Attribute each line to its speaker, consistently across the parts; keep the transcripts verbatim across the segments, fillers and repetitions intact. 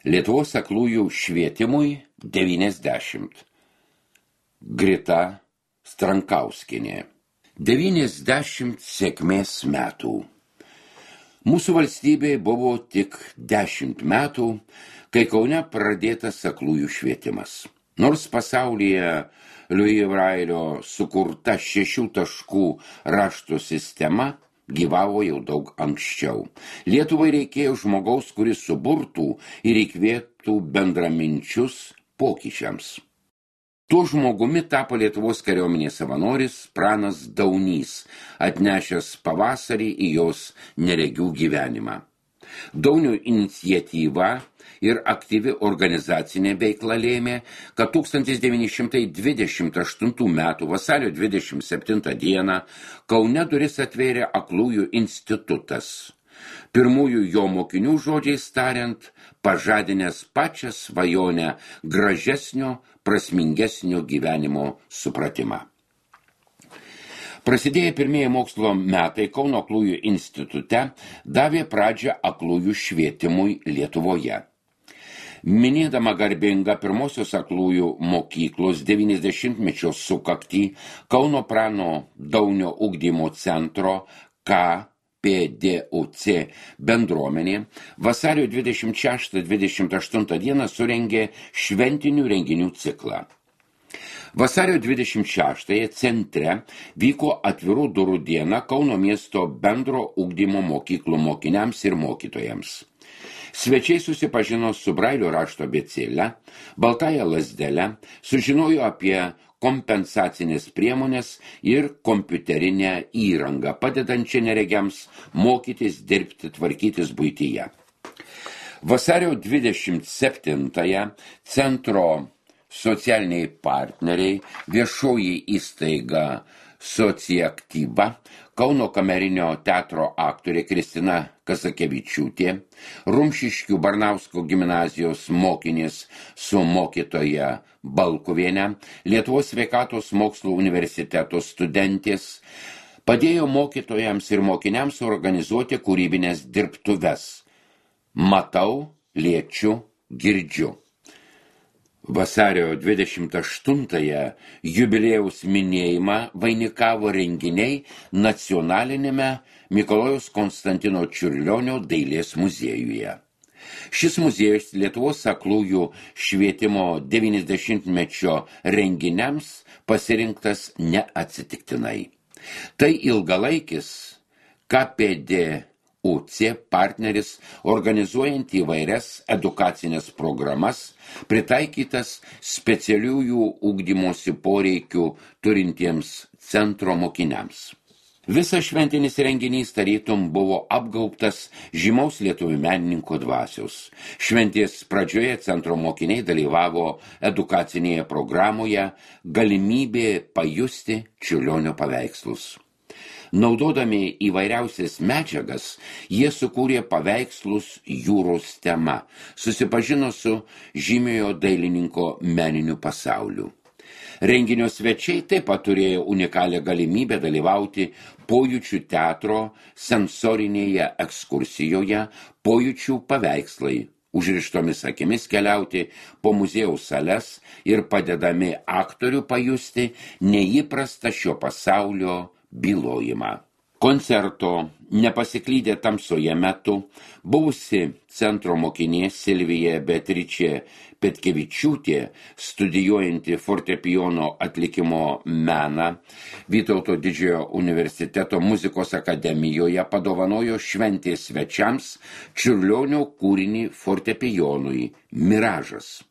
Speaker 1: Lietuvos aklųjų švietimui devyniasdešimt. Grita Strankauskienė. devyniasdešimt sėkmės metų. Mūsų valstybei buvo tik dešimt metų, kai Kaune pradėtas aklųjų švietimas. Nors pasaulyje Louis Brailio sukurta šešių taškų rašto sistema gyvavo jau daug anksčiau. Lietuvai reikėjo žmogaus, kuris suburtų ir įkvėptų bendraminčius pokyčiams. Tuo žmogumi tapo Lietuvos kariuomenės savanoris Pranas Daunys, atnešęs pavasarį į jos neregių gyvenimą. Daunio iniciatyva ir aktyvi organizacinė veikla lėmė, kad tūkstantis devyni šimtai dvidešimt aštuntų metų vasario dvidešimt septintą dieną Kaune duris atvėrė aklųjų institutas. Pirmųjų jo mokinių žodžiais tariant, pažadinęs pačią svajonę gražesnio, prasmingesnio gyvenimo supratimą. Prasidėję pirmieji mokslo metai Kauno aklųjų institute davė pradžią aklųjų švietimui Lietuvoje. Minėdama garbingą pirmosios aklųjų mokyklos devyniasdešimtmečio sukaktį, Kauno Prano Daunio ugdymo centro K P D U C bendruomenė vasario dvidešimt šeštą dvidešimt aštuntą dieną surengė šventinių renginių ciklą. Vasario dvidešimt šeštąją centre vyko atvirų durų diena Kauno miesto bendro ugdymo mokyklų mokiniams ir mokytojams. Svečiai susipažino su Brailio rašto abėcėle, baltąja lazdele, sužinojo apie kompensacinės priemonės ir kompiuterinę įrangą, padedančią neregiams mokytis, dirbti, tvarkytis buityje. Vasario dvidešimt septintąją centro socialiniai partneriai, viešoji įstaiga Sociaktyva, Kauno kamerinio teatro aktorė Kristina Kazakevičiūtė, Rumšiškių Barnausko gimnazijos mokinės su mokytoja Balkuvienė, Lietuvos sveikatos mokslų universiteto studentės, padėjo mokytojams ir mokiniams organizuoti kūrybinės dirbtuves. Matau, liečiu, girdžiu. Vasario dvidešimt aštuntąją jubiliejaus minėjimą vainikavo renginiai nacionalinėme Mikalojaus Konstantino Čiurlionio dailės muziejuje. Šis muziejus Lietuvos aklųjų švietimo devyniasdešimtmečio renginiams pasirinktas neatsitiktinai. Tai ilgalaikis K P D U C partneris organizuojant įvairias edukacinės programas, pritaikytas specialiųjų ugdymosi poreikių turintiems centro mokiniams. Visas šventinis renginys tarytum buvo apgaubtas žymaus lietuvių menininko dvasios. Šventės pradžioje centro mokiniai dalyvavo edukacinėje programoje Galimybė pajusti Čiurlionio paveikslus. Naudodami įvairiausias medžiagas, jie sukūrė paveikslus jūros tema, susipažino su žymiojo dailininko meniniu pasauliu. Renginio svečiai taip pat turėjo unikalią galimybę dalyvauti pojūčių teatro sensorinėje ekskursijoje Pojūčių paveikslai, užrištomis akimis keliauti po muziejaus sales ir padedami aktorių pajusti neįprastą šio pasaulio bylojimą. Koncerto Nepasiklydę tamsoje metu buvusi centro mokinė Silvija Beatričė Petkevičiūtė, studijuojanti fortepijono atlikimo meną Vytauto didžiojo universiteto muzikos akademijoje, padovanojo šventės svečiams Čiurlionio kūrinį fortepijonui Miražas.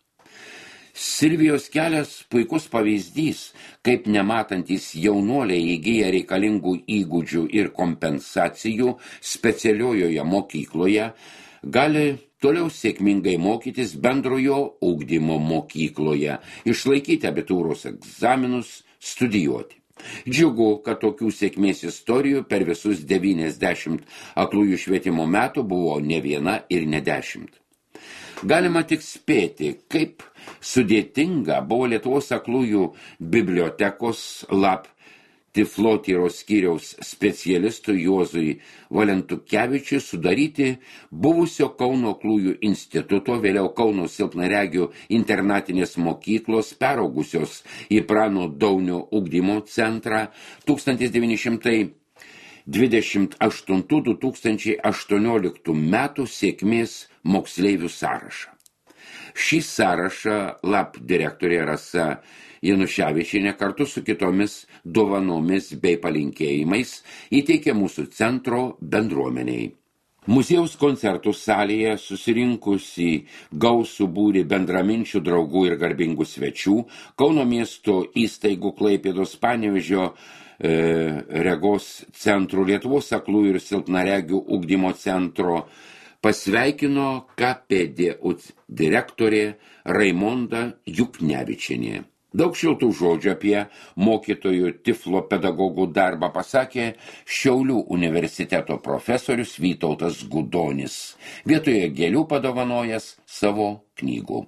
Speaker 1: Silvijos kelias puikus pavyzdys, kaip nematantis jaunuoliai įgyja reikalingų įgūdžių ir kompensacijų specialiojoje mokykloje, gali toliau sėkmingai mokytis bendrojo ugdymo mokykloje, išlaikyti abitūros egzaminus, studijuoti. Džiugu, kad tokių sėkmės istorijų per visus devyniasdešimt aklųjų švietimo metų buvo ne viena ir ne dešimt. Galima tik spėti, kaip sudėtinga buvo Lietuvos aklųjų bibliotekos lab Tiflotyros skyriaus specialistui Juozui Valentukevičiui sudaryti buvusio Kauno aklųjų instituto, vėliau Kauno silpnaregių internatinės mokyklos, peraugusios į Prano Daunio ugdymo centrą tūkstantis devyni šimtai dvidešimt aštuntų du tūkstančiai aštuonioliktų metų sėkmės moksleivių sąrašą. Šį sąrašą lab direktorė Rasa Januševičienė kartu su kitomis dovanomis bei palinkėjimais įteikė mūsų centro bendruomeniai. Muziejaus koncertų salėje susirinkusi gausų būrį bendraminčių draugų ir garbingų svečių, Kauno miesto įstaigų Klaipėdos, Panevėžio, e, Regos centrų, Lietuvos aklųjų ir silpnaregių ugdymo centro pasveikino K P D U C direktorė Raimonda Juknevičienė. Daug šiltų žodžių apie mokytojų tiflo pedagogų darbą pasakė Šiaulių universiteto profesorius Vytautas Gudonis, vietoje gėlių padovanojęs savo knygų.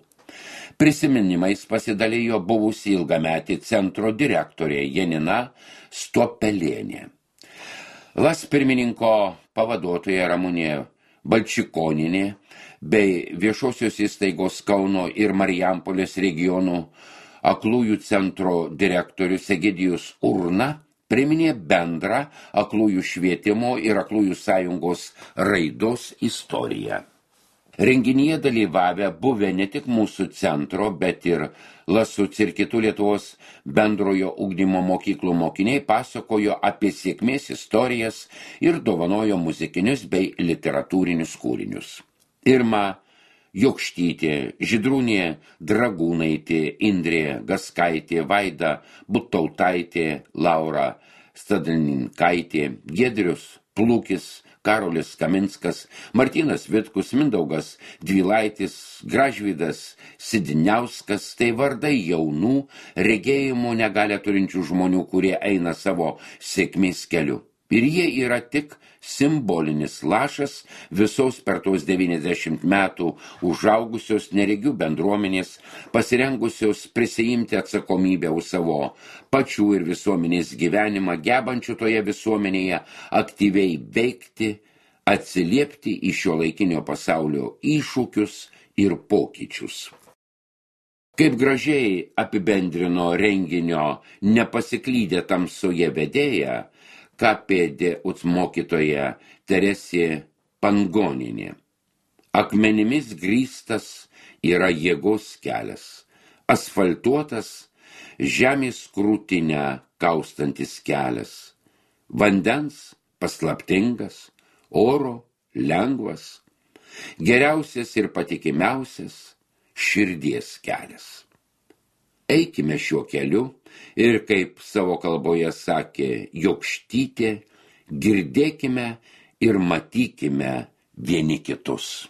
Speaker 1: Prisiminimais pasidalijo buvusi ilgametį centro direktorė Janina Stopelienė. Las pirmininko pavaduotoja Ramunė Balčikoninė bei viešosios įstaigos Kauno ir Marijampolės regionų aklųjų centro direktorius Egidijus Urna priminė bendrą aklųjų švietimo ir aklųjų sąjungos raidos istoriją. Renginyje dalyvavę buvę ne tik mūsų centro, bet ir Lasuc ir kitų Lietuvos bendrojo ugdymo mokyklų mokiniai pasakojo apie sėkmės istorijas ir dovanojo muzikinius bei literatūrinius kūrinius. Irma Jokštytė, Žydrūnė Dragūnaitė, Indrė Gaskaitė, Vaida Butautaitė, Laura Stadlinkaitė, Giedrius Plūkis, Karolis Kaminskas, Martynas Vitkus, Mindaugas Dvilaitis, Gražvydas Sidiniauskas, tai vardai jaunų, regėjimo negalią turinčių žmonių, kurie eina savo sėkmės keliu. Ir jie yra tik simbolinis lašas visos per tos devyniasdešimt metų užaugusios neregių bendruomenės, pasirengusios prisiimti atsakomybę už savo pačių ir visuomenės gyvenimą, gebančių toje visuomenėje aktyviai veikti, atsiliepti į šiuolaikinio pasaulio iššūkius ir pokyčius. Kaip gražiai apibendrino renginio nepasiklydę tamsoje vedėja, K P D U C mokytoja Teresė Pangoninė. Akmenimis grįstas yra jėgos kelias, asfaltuotas žemės krūtinę kaustantis kelias, vandens paslaptingas, oro lengvas, geriausias ir patikimiausias širdies kelias. Eikime šiuo keliu ir, kaip savo kalboje sakė Jokštytė, girdėkime ir matykime vieni kitus.